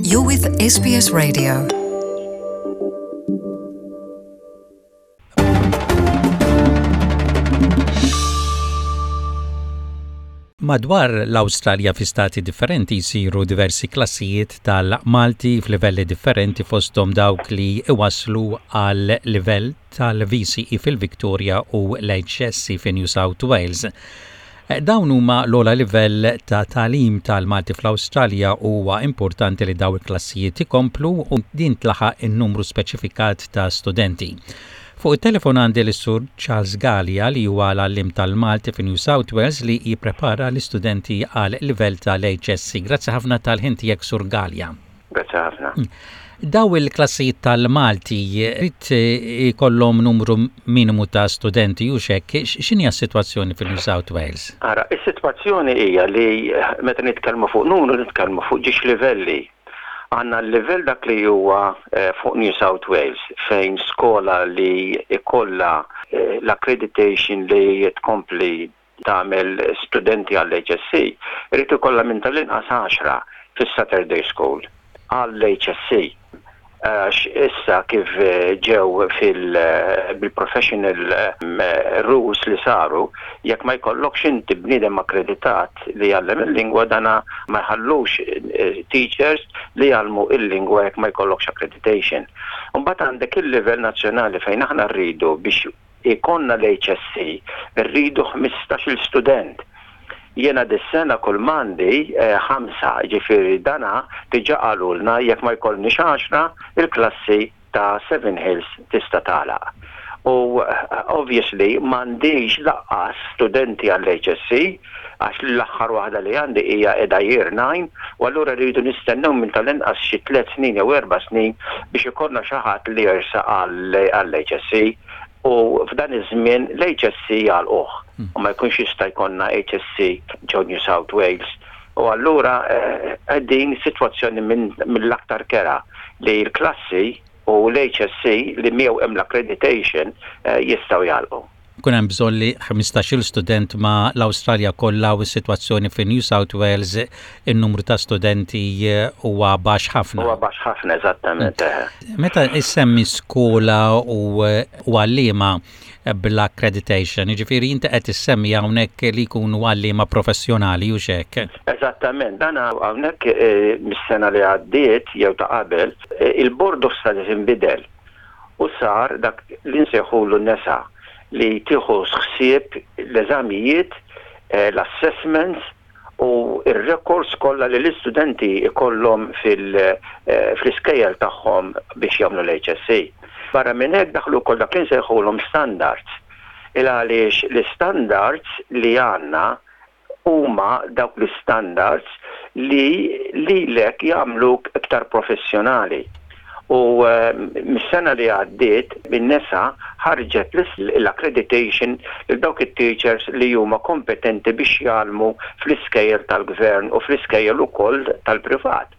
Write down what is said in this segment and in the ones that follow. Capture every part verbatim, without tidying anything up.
You're with S B S Radio. Madwar l-Awstralja fi stati differenti jsiru diversi klassijiet tal-Malti f'livelli differenti, fosthom dawk li iwaslu għal livell tal-V C E fil-Victoria u l-H S C fi New South Wales. Dawn huma l-ogħla livell ta' tagħlim tal-Malti fl-Awstralja u huwa importanti li daw il-klassijiet ikomplu u din tlaħaq in-numru speċifikat ta' studenti. Fuq il-telefon għandi l-Sur Charles Gallia, li huwa l-għallim tal-Malti fi New South Wales li jipprepara l-istudenti għal livell tal-H S C. Grazzi ħafna tal-ħin tiegħek, Sur Gallia. Grazzi ħafna. Daw il-klassijiet tal-Malti irid ikollhom numru minimu ta' studenti u hekk, x'inhi s-sitwazzjoni fil-New South Wales? Ara, is-sitwazzjoni hija li meta nitkellmu fuq numru, nitkellmu fuq żewġ livelli. Għandna l-livell dak li huwa eh, fuq New South Wales, fejn skola li ikolla eh, l-accreditation li tkompli tagħmel studenti għall-H S C, irid ikollha minn tal-inqas għaxra fis-Saturday School għall-H S C. Għax issa kif eh, ġew fil-professional rules li saru, jekk ma jkollokx inti bniedem akkreditat li jgħallem il-lingwa, dana ma jħallux eh, teachers li jgħallmu il-lingwa jekk ma jkollokx accreditation. Mbagħad għandek il-livell nazzjonali fejn aħna rridu, biex ikollna l-H S C, rridu ħmistax-il student. Jena dis-sena kull m'għandi eh, ħamsa, ġifieri dana diġà qalulna jekk ma jkollniex għaxra, il-klassi ta' Seven Hills tista' tagħlaq. U eh, obviously m'għandix lanqas studenti għall-H S C għax l-aħħar waħda li għandi hija qiegħda year nine u allura rridu nistennew minn tal-inqas xi tliet snin jew erba' snin biex ikollna xi ħadd li jersaq għall-H S C u f'dan iż-żmien l-H S C jagħlquh hmm. u ma jkunx jista' jkollna H S C ġo New South Wales. U allura eh, din sitwazzjoni mill-aktar kerha li l-klassi u l-H S C li miegħu hemm l-accreditation eh, jistgħu jagħlqu. Kun hemm bżonn li ħmistax-il student ma l-Awstralja kollha u s-sitwazzjoni fi New South Wales, in-numru ta' studenti huwa baxx ħafna. Huwa baxx ħafna, eżattament. Mm. Meta issemmi skola u għalliema bl-accreditation, jiġifieri inti qed issemmi hawnhekk li jkunu għalliema professjonali u hekk. Eżattament, dan hawnhekk eh, mis-sena li għaddiet jew ta' qabel, eh, il-Board of Studies inbidel u sar dak li nsejħulu NESA, li tieħu ħsieb l-eżamijiet, eh, l-assessments u il-records kollha li l-istudenti ikollhom eh, fl-iskejjel tagħhom biex jagħmlu l-H S C. Barra minn hekk daħlu wkoll dak li nsejħulhom standards. Il għaliex l-standards li għandna huma dawk l-standards li lilek jagħmluk iktar professjonali. U eh, mis-sena li għaddiet, in-NESA ħarġet l-accreditation lil dawk it-teachers li huma kompetenti biex jgħallmu fl-iskejjel tal-gvern u fl-iskejjel ukoll tal-privat.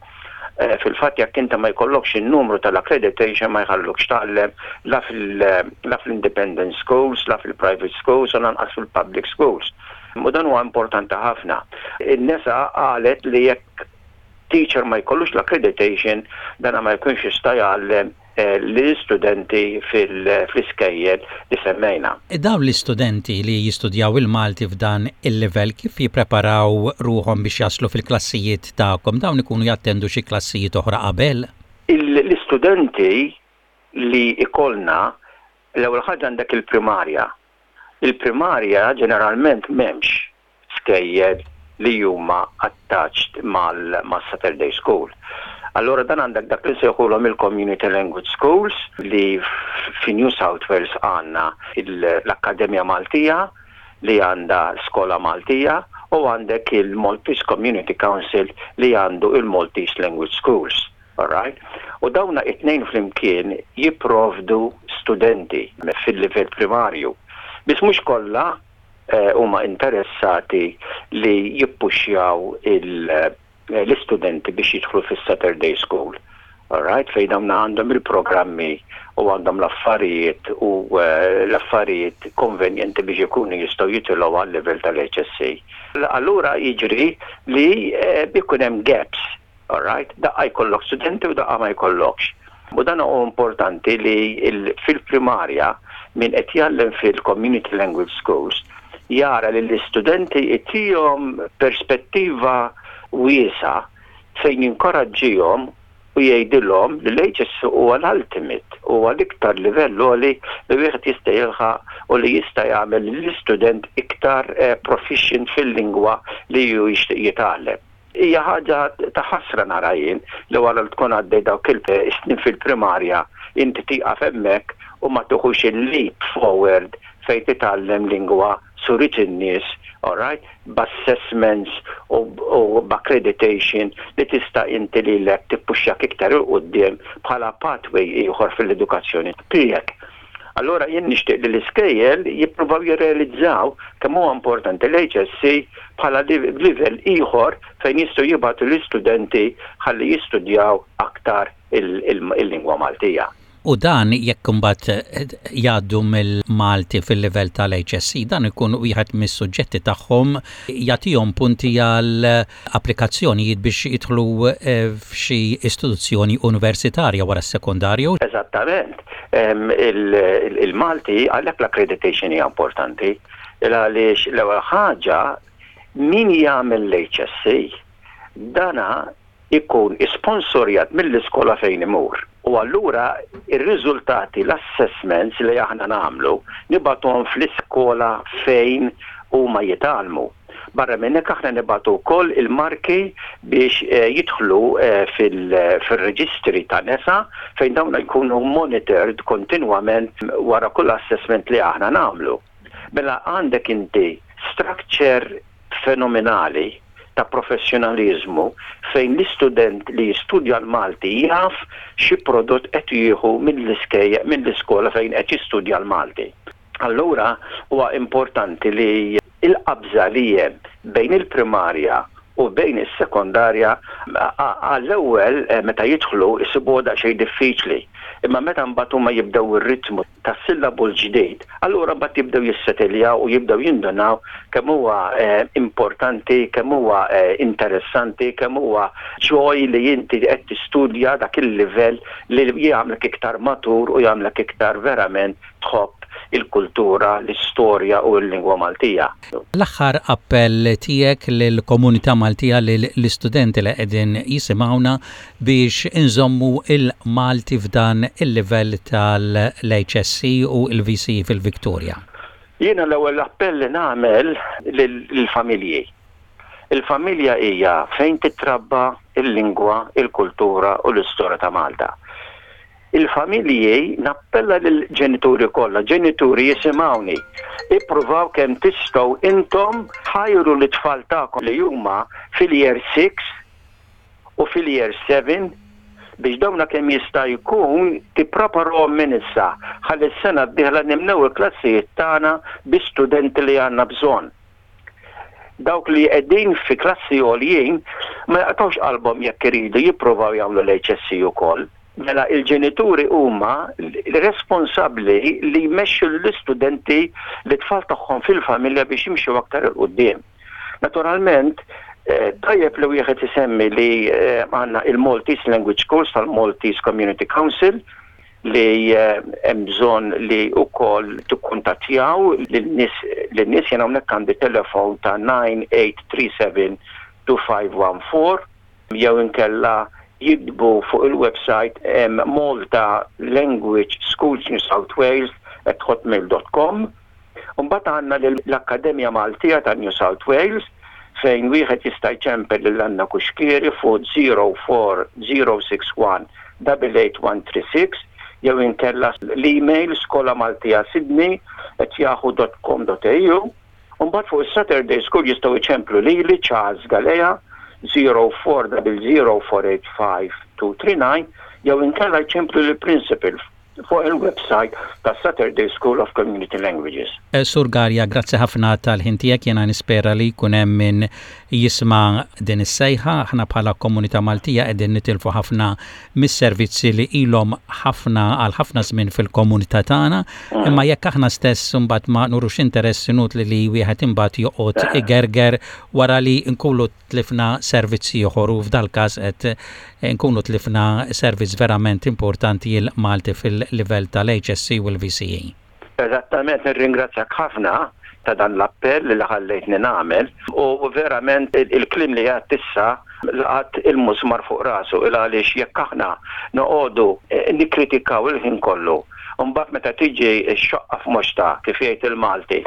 Eh, fil-fatt jekk inta ma jkollokx in-numru tal-accreditation, ma jħallukx tgħallem la fil-independent schools, la fil-private schools u lanqas fil-public schools. U dan huwa importanti ħafna. In-NESA qalet li jekk teacher ma jkollux l-accreditation, dana ma jkunx jista' jgħallem eh, l-istudenti fl-iskejjel li semmejna. E dawn l-istudenti li jistudjaw il-Malti f'dan il-level kif jippreparaw ruħhom biex jaslu fil-klassijiet tagħkom? Dawn ikunu jattendu xi klassijiet oħra qabel? L-istudenti li ikollna, l-ewwel ħaġa għandek il-primarja. Il-primarja ġeneralment m'hemmx skejjel li huma attached mal-Saturday School. Allora dan għandek dak li nsejħulhom il-Community Language Schools, li fi New South Wales għandna l-Akkademja Maltija li għandha skola Maltija u għandek il-Maltese Community Council li għandu il-Maltese Language Schools. Alright? U dawna it-tnejn flimkien jipprovdu studenti fil-livell primarju. Biss mhux kollha Eh, huma interessati li jippuxjaw eh, l-istudenti biex jidħlu fis-Saturday School. Alright, fejn dawn għandhom il-programmi u għandhom l-affarijiet u eh, l-affarijiet konvenjenti biex ikunu jistgħu jitilgħu għal livell tal-H S C. Allura jiġri li ikun hemm gaps. Alright? Daqqa jkollok studenti u daqqa ma jkollokx. U dan huwa importanti li fil-primarja min qed jgħallem fil-community language schools jara li l-istudenti itihom perspettiva wiesgħa fejn jinkoraġġihom u jgħidilhom li l-H S C huwa l-ultimate, huwa l-iktar livell għoli li wieħed jista' jilħaq u li jista' jagħmel l-istudent iktar eh, proficient fil-lingwa li ju jixtieq jitgħallem. Hija ħaġa ta' ħasra nara jien li wara li tkun għaddej dawk il-snin fil-primarja inti tieqaf hemmhekk u ma tuħux il-leap forward fejn titgħallem lingwa surit in-nies, alright, b'assessments u, u b'accreditation li tista' inti lilek tippuxxjak iktar 'il quddiem bħala pathway ieħor fil-edukazzjoni tiegħek. Allora jien nixtieq li l-iskejjel jippruvaw jirrealizzaw kemm huwa importanti l-H S C bħala livell ieħor fejn jistgħu jibgħatu l-istudenti ħalli jistudjaw aktar il-lingwa Maltija. U dan jekk imbagħad jgħaddu mill-Malti fil-livell tal-H S C, dan ikun wieħed mis-suġġetti tagħhom, jagħtihom punti għal applikazzjonijiet biex jidħlu eh, f'xi istituzzjoni universitarja wara s-sekondarju. Eżattament. Il-Malti, għalhekk l-accreditation hija importanti. Għaliex l-ewwel ħaġa, min jagħmel l-H S C dana ikun isponsorjat mill-iskola fejn imur. U allura ir-riżultati, l-assessments li aħna nagħmlu, nibagħtuhom fl-iskola fejn huma jitgħallmu. Barra minn hekk, aħna nibagħtu wkoll il-marki biex eh, jidħlu eh, fil-reġistri ta' NESA, fejn dawn jkunu monitored kontinwament wara kull assessment li aħna nagħmlu. Mela għandek inti structure fenomenali ta' professjonalizmu fejn l-istudent li jistudja l-Malti jaf xi prodott qed jieħu mill-iskejja, mill-iskola fejn qed jistudja l-Malti. Allura huwa importanti li il-qabża li hemm bejn il-primarja u bejn is-sekondarja, għall-ewwel eh, meta jidħlu jsibu xejn diffiċli. Imma meta mbagħad huma jibdew ir-ritmu tas-sillabu l-ġdid, allura mbagħad jibdew jissetiljaw u jibdew jindunaw kemm huwa eh, importanti, kemm huwa eh, interessanti, kemm huwa joy li inti qed tistudja dak il-livell li jagħmlek iktar matur u jagħmlek iktar verament tħobb il-kultura, l-istorja u l-lingwa Maltija. L-aħħar appell tiegħek lill-komunità Maltija, lill-istudenti li qegħdin jisimgħuna, biex inżommu il-Malti f'dan il-livell tal-H S C u l-V C E fil-Victoria. Jiena l-ewwel appell li nagħmel lill-familji. Il-familja hija fejn titrabba il-lingwa, il-kultura u l-istorja ta' Malta. Il-familji, nappella lill-ġenituri kollha, ġenituri jisimgħuni, ippruvaw kemm tistgħu intom ħajru l-tfal tagħkom li huma fil-year six u fil-year seven biex dawna kemm jista' jkun tippreparahom minn issa ħalli s-sena d-dieħla nimlew il-klassijiet tagħna bi studenti li għandna bżonn. Dawk li qegħdin fi klassi għoljin ma jaqtawx qalbhom jekk iridu jippruvaw jagħmlu l-H S C ukoll. Mela il-ġenituri huma responsabbli li jmexxu l-istudenti, l-tfal tagħhom fil-familja, biex jimxu aktar 'il quddiem. Naturalment, eh, tajjeb li wieħed isemmi li eh, għandna il-Maltese Language Course tal-Maltese Community Council li eh, hemm bżonn li wkoll tikkuntattjaw lin-nies lin-nies Jien hawnhekk għandi telefon ta' nine eight three seven two five one four jew inkella jiktbu fuq il-website um, Malta Language Schools New South Wales at hotmail dot com. Mbagħad għandna l-Akkademja Maltija ta' New South Wales, fejn wieħed jista' jċempel lil Anna Kuxkieri fuq zero four zero six one eight eight one three six jew inkella l-email skolamaltija sydney at yahoo dot com dot A U. Mbagħad fuq is-Saturday School jistgħu jċemplu lili, Charles Galea, zero four zero zero four eight five two three nine, jew inkella jċemplu lill-principal Fuq il-website ta' Saturday School of Community Languages. Eh, Sur Garja, grazzi ħafna tal-ħin tiegħek. Jiena nispera li jkun hemm min jisma' din is-sejħa. Aħna bħala komunità Maltija qegħdin nitilfu ħafna mis-servizzi li ilhom ħafna għal ħafna żmien fil-komunità tagħna, mm. imma jekk aħna stess imbagħad ma nurux interess, inutli li wieħed imbagħad joqgħod igerger wara li nkunu tlifna servizzi ieħor, u f'dal-każ qed nkunu tlifna servizz verament importanti, il-Malti fil-livell tal-H S C u l-V C E. Eżattament, nirringrazzjak ħafna ta' dan l-appell li ħallejtni nagħmel u verament il-kliem li għedt issa laqat il-musmar fuq rasu, il għaliex jekk aħna noqogħdu eh, nikkritikaw il-ħin kollu, mbagħad meta tiġi x-xoqqa f'moxta, kif jgħid il-Malti,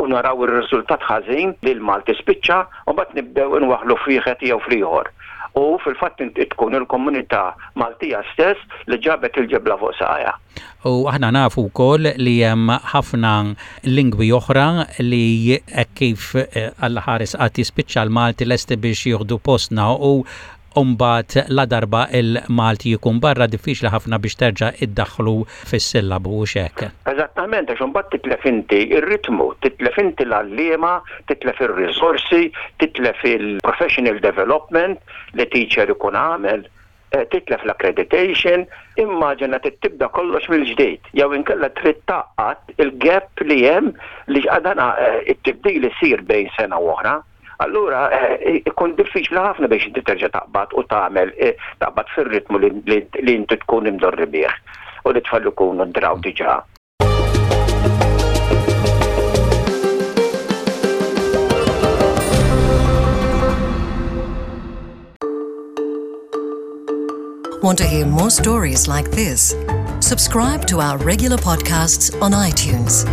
u naraw ir-riżultat ħażin li l-Malti spiċċa, u mbagħad nibdew inwaħħlu f'wieħed jew fl-ieħor. U fil-fatt tkun il-komunità Maltija stess li ġabet il-ġebla fuq saqajha. U aħna nafu wkoll li hemm ħafna lingwi oħra li hekk kif eh, Alla ħares qatt jispiċċa l-Malti, lesti biex jieħdu postna, u mbagħad la darba il-Malti jkun barra, diffiċli ħafna biex terġa' iddaħħlu fis-sillabu u hekk. Eżattament, għax imbagħad titlef inti ir-ritmu, titlef inti l-għalliema, titlef ir-risorsi, titlef il-professional development li teacher ikun għamel, eh, titlef l-accreditation, immaġina tibda kollox mill-ġdid. Jew inkella trid tgħaqqad il-gap li hemm li għadana eh, it-tibdil isir bejn sena u oħra. Allura eh, ikun diffiċli ħafna biex inti terġa' taqbad u tagħmel eh, taqbad fir-ritmu li inti tkun imdorri bih u li tfal ikunu draw diġà. Want to hear more stories like this? Subscribe to our regular podcasts on iTunes.